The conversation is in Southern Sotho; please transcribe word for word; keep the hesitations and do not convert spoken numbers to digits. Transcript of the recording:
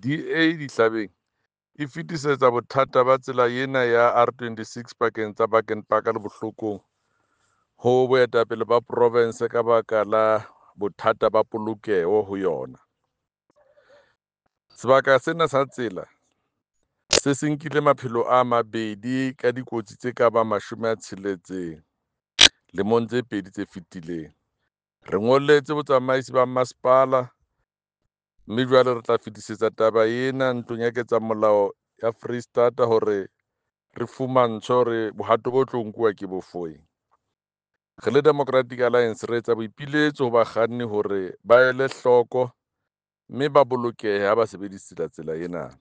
D A Dihlabeng e fetisetsa bothata ba tsela ena ya R twenty-six pakeng tsa Baken Park le Bohlokong ho boetapele ba province ka baka la bothata ba polokeho ho yona. Sebaka sena sa tsela se se nkile maphelo a mabedi ka dikotsi tse ka bang mashome a tsheletseng lemong tse pedi tse fetileng. Re ngolletse botsamaisi ba masepala mme jwale re tla fetisetsa taba ena ntlong ya ketsamolao ya Foreisetata hore re fumantshwe hore bohato bo tlo nkuwa ke bofeng. Re le Democratic Alliance re etsa boipiletso ho bakganni hore ba ele hloko mme ba bolokehe ha ba sebedisa tsela ena.